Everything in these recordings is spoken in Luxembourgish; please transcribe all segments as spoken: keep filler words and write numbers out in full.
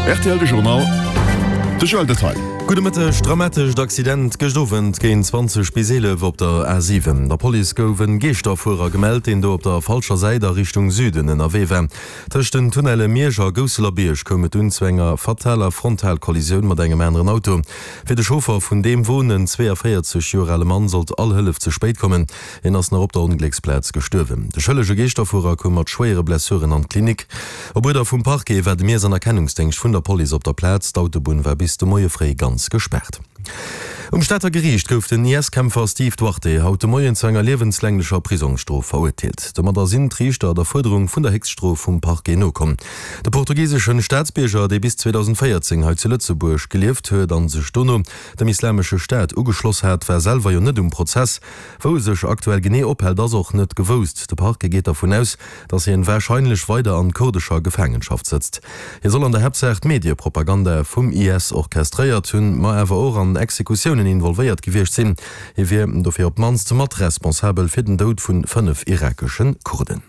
R T L de Journal, de Joël Detail. Gudde Mëtteg, Dramatescht Accident gëscht Owend géint zwanzeg bis eelef op der A siwen. Der Police gouf en Geeschterfuerer gemellt, deen do op der falscher Säit a Richtung Süden ënnerwee war. Tëscht den Tunnelle Miersch a Gousselerбierg koum et dunn zu enger fataler Frontalkollisioun mat engem aneren Auto. Fir de Chauffer vun deem Won, en zweeënvéierzeg Joer ale Mann, sollt all Hëllef ze spéit kommen. Hien ass nach op der Onglécksplaz gestuerwen. De schëllege Geeschterfuerer koum mat schwéiere Blessuren an d'Klinik. Op Uerder vum Parquet war de Miess an Erkennungsdéngscht vun der Police op der Plaz. D'Autobunn war bis de Moie fréi ganz gespaart. Um Stater Geriicht gouf den I S-Kämpfer Steve Duarte haut de Moien zu enger liewenslänglecher Prisongsstrof verurteelt. Domadder sinn d'Riichter der Fuerderung vun der Héchststrof vum Parquet nokomm. De portugiseschen Staatsbierger, dee bis zweedausendvéierzéng hei zu Lëtzebuerg gelieft huet an sech dono dem Islamesche Staat ugeschloss hat, war selwer jo net um Prozess. Wou e sech aktuell genee ophält, ass och net gewousst. De Parquet geet dervun aus, datt hien warscheinlech weider an kurdescher Gefaangenschaft sëtzt. Hie soll an der Haaptsaach d'Mediepropaganda vum I S orchestréiert hunn, ma awer och an Exekutiounen involvéiert gewiescht sinn. Hie wier dofir op d'mannst mat responsabel fir den Doud vu fënnef irakesche Kurden.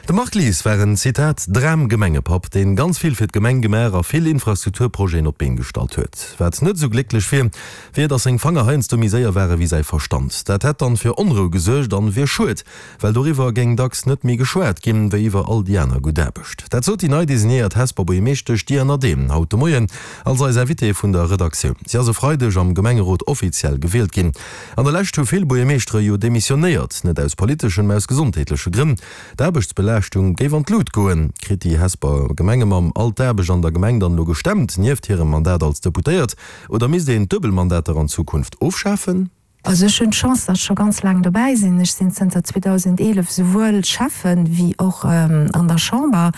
De Marc Lies war en, Zitat, Dram-Gemengepapp, deen ganz vill fir d'Gemeng gemaach a vill Infrastrukturprojeten op d'Been gestallt huet. Wat net esou glécklech wier, wier, datt seng Fanger heiansdo méi séier ware wéi säi Verstand. Dat hätt dann fir Onrou gesuergt an wier schued, well doriwwer géing dacks net méi geschwat ginn, wéi iwwer all déi aner gutt Aarbecht. Dat sot déi nei designéiert Hesper Buergermeeschtesch Diane Adehm haut de Moien als eis Invitée vun der Redaktioun. Si ass e Freideg am Gemengerot offiziell gewielt ginn. An der Lescht hu vill Buergermeeschtere jo demissionéiert, net aus politeschen, mä aus gesondheetleche Grënn. D'Aarbechtsbelaaschtung géif an d'Lut goen. Kritt déi Hesper Gemengemamm all d'Aarbecht an der Gemeng dann elo gestemmt, nieft hirem Mandat als Deputéiert, oder misst een d'Duebelmandater an Zukunft ofschafen? Also ech hunn d'Chance, datt ech scho ganz laang dobäi sinn. Ech sinn zënter zweedausendeelef souwuel Schäffen wéi och an der Chamber.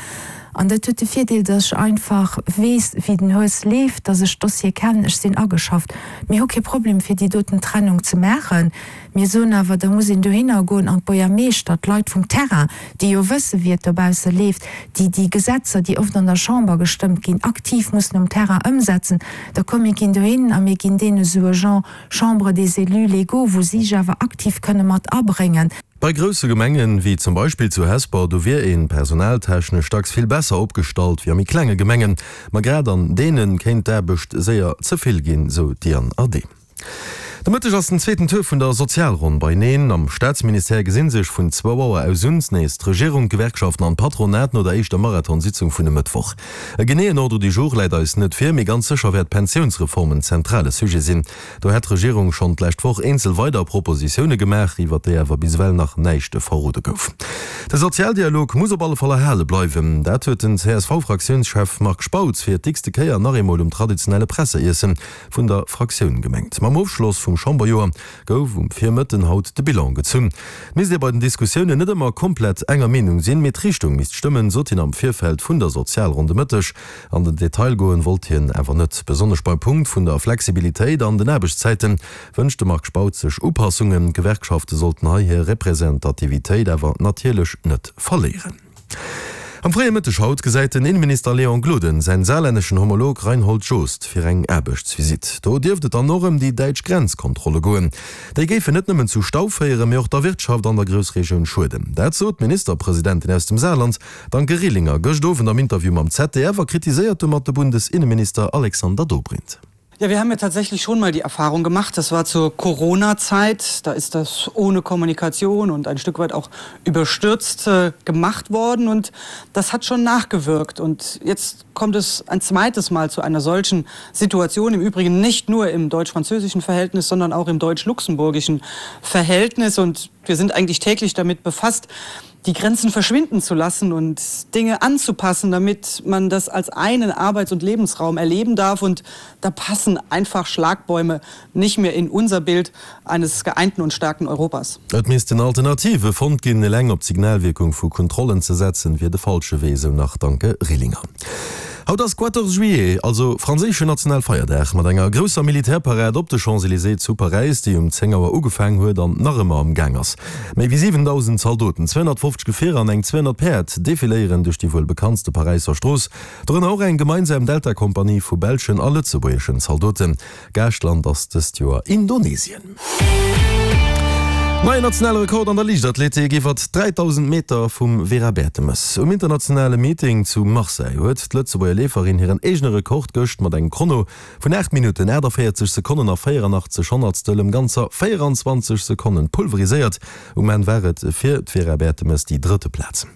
An dat huet de Virdeel, datt ech einfach weess, wéi den Hues leeft, datt ech d'Dossiere kennen, ech sinn ageschafft. Mir hu kee Problem, fir déi doten Trennung ze maachen. Mir soen awer, da muss een dohinner goen an d'Buergermeeschter, d'Leit vum Terrain, déi jo wësse wéi et dobausse leeft, déi déi Gesetzer, déi oft an der Chamber gestëmmt ginn, aktiv mussen um Terrain ëmsetzen, da komm mir ginn dohin a mir ginn deene esou e Genre Chambre des élus légaux, wou si sech awer aktiv kënne mat abréngen. Bei grousse Gemengen, wéi zum Beispill zu Hesper, do wier een personaltechnesch dacks vill besser opgestallt wéi a méi klenge Gemengen. Ma grad an deene kéint d'Aarbecht séier ze vill ginn, sou d'Diane Adehm. De Mëtteg ass den zweeten Tour vun der Sozialronn beineen. Am Staatsministère gesinn sech vun zwou Auer aus un nees d'Regierung, d'Gewerkschaften an d'Patronat no der éischter Marathonsitzung vun e Mëttwoch. E geneeën Ordre du jour läit eis net vir, mee ganz sécher wäert d'Pensiounsreform en zentrale Sujet sinn. Do hätt d'Regierung schonn d'lescht Woch eenzel weider Propositioune gemaach, iwwer déi awer bis ewell nach näischt verrode gouf. De Sozialdialog muss op alle Fall erhale bleiwen. Dat huet den C S V-Fraktiounschef Marc Spautz fir d'x-te Kéier nach eemol um traditionelle Presseiessen vun der Fraktioun gemengt. Mam Ofschloss vum Chamberjoer gouf um Virmëtten haut de Bilan gezunn. Et misst ee bei den Diskussiounen net ëmmer komplett enger Meenung sinn, mee d'Richtung misst stëmmen, sot hien am Virfeld vun der Sozialronn de Mëtteg. An den Detail goen wollt hien awer net. Besonnesch beim Punkt vun der Flexibilitéit an den Aarbechtszäite wënscht de Marc Spautz sech Upassungen. D'Gewerkschafte sollten hei hir Representativitéit awer natierlech net verléieren. Am fréie Mëtteg haut gesäit den Inneminister Léon Gloden säin saarlänneschen Homolog Reinhold Jost fir eng Aarbechtsvisitt. Do dierft et dann och ëm déi däitsch Grenzkontrolle goen. Déi géifen net nëmmen zu Stau féieren, mee och der Wirtschaft an der Groussregioun schueden. Dat sot d'Ministerpresidentin aus dem Saarland, d'Anke Rehlinger, gëscht Owend am Interview mam Z D F a kritiséiert domat de Bundesinneminister Alexander Dobrindt. Ja, wir haben ja tatsächlich schon mal die Erfahrung gemacht, das war zur Corona-Zeit, da ist das ohne Kommunikation und ein Stück weit auch überstürzt äh, gemacht worden und das hat schon nachgewirkt. Und jetzt kommt es ein zweites Mal zu einer solchen Situation, im Übrigen nicht nur im deutsch-französischen Verhältnis, sondern auch im deutsch-luxemburgischen Verhältnis. Und wir sind eigentlich täglich damit befasst, die Grenzen verschwinden zu lassen und Dinge anzupassen, damit man das als einen Arbeits- und Lebensraum erleben darf. Und da passen einfach Schlagbäume nicht mehr in unser Bild eines geeinten und starken Europas. Et missten Alternative fonnt ginn, eleng op d'Signalwierkung vu Kontrollen ze setzen, wier de falsche Wee, sou nach d'Anke Rehlinger. Haut ass quatorze juillet, also franséischen Nationalfeierdag, mat enger grousser Militärparad op de Champs-Élysées zu Paräis, déi um zéng Auer ugefaang huet an nach ëmmer am Gaang ass. Méi wéi siwendausend Zaldoten, zweehonnertfofzeg Gefierer an eng zweehonnert Päerd defiléieren duerch déi wuel bekanntste Paräisser Strooss, dorënner och eng gemeinsam Delta-Kompanie vu belschen a lëtzebuergeschen Zaldoten. Gaaschtland ass dëst Joer Indonesien. Neien nationale Rekord an der Liichtathletik iwwer dräidausend Meter vum Vera Bertemes. Um internationale Meeting zu Marseille huet d'Lëtzebuerger Leeferin hiren eegene Rekord gëscht mat engem Chrono vun aacht Minutten, aachtavéierzeg Sekonnen a véieranachtzeg Honnertstel ëm ganzer véieranzwanzeg Sekonnen pulveriséiert. Um Enn war et fir d'Vera Bertemes déi drëtte Plaz.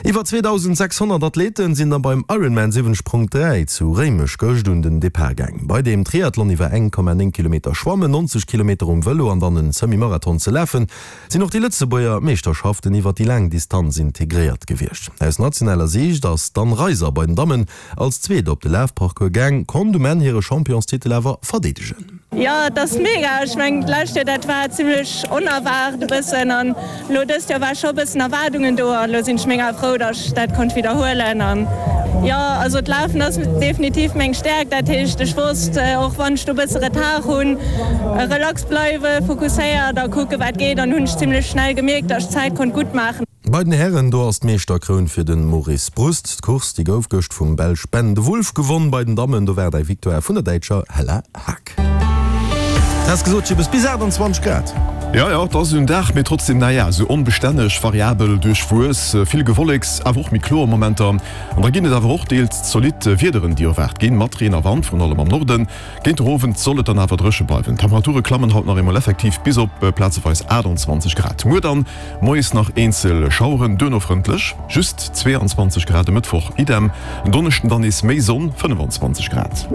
Iwwer zweedausendsechshonnert Athleten sinn da beim Ironman siwwenzeg Punkt dräi zu Réimech gëscht un den Depart gaang. Bei deem Triathlon iwwer eng Komma néng Kilometer schwammen, neunzeg Kilometer um Vëlo an dann en Semi-Marathon ze lafen, sinn och déi Lëtzebuerger Meeschterschaften iwwer déi laang Distanz integréiert gewiescht. Aus nationaler Siicht ass d'Anne Reiser bei den Dammen als Zweet op de Lafparcours gaang, konnt um Enn hire Championstitel awer verdeedegen. Jo, et ass mega. Ech mengen d'lescht Joer dat war zimmlech onerwaart e bëssen an elo dëst Joer war scho e bëssen Erwaardungen do an elo sinn ech mega frou, datt ech dat konnt widderhuelen an jo, also d'Lafen ass definitiv meng Stäerkt, dat heescht ech wosst och wann ech do e bësse Retard hunn, relax bleiwe, fokusséiert a kucke wat geet an hunn ech zimmlech schnell gemierkt, datt ech d'Zäit konnt gutt maachen. Bei den Hären, do ass d'Meeschterkroun fir de Maurice Brust. D'Course, déi gouf gëscht vum Belsch Ben de Wulf gewonn. Bei den Dammen, do war et eng Victoire vun der Däitscher Hella Haag. Has gesot, Jibbes, bis aachtanzwanzeg Grad. Jo, jo, et ass en Dag, mee trotzdem, naja, esou onbestänneg, variabel, duerchwuess, vill Gewolleks, awer och méi kloer Momenter. An da ginn et awer och deels zolidd Wiederen, déi erwaart ginn, mat Reen a Wand, virun allem am Norden. Géint der Owend soll et dann awer dréche bleiwen. D'Temperature klammen haut nach eemol effektiv bis op plazeweis aachtanzwanzeg Grad. Muer dann moies nach eenzel Schaueren, duerno frëndlech, just zweeanzwanzeg Grad. E Mëttwoch idem, en Donneschden dann nees méi Sonn, fënnefanzwanzeg Grad.